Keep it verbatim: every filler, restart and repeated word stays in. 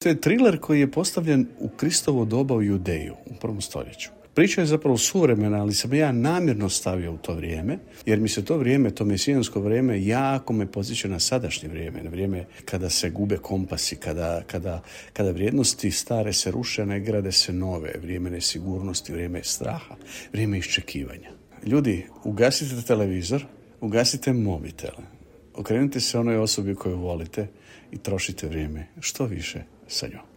To je thriller koji je postavljen u Kristovo doba u Judeju, u prvom stoljeću. Priča je zapravo suvremena, ali sam ja namjerno stavio u to vrijeme, jer mi se to vrijeme, to mesijansko vrijeme, jako me podsjeća na sadašnje vrijeme, na vrijeme kada se gube kompasi, kada, kada, kada vrijednosti stare se ruše, ne grade se nove, vrijeme nesigurnosti, vrijeme straha, vrijeme iščekivanja. Ljudi, ugasite televizor, ugasite mobitele, okrenite se onoj osobi koju volite i trošite vrijeme što više sa njom.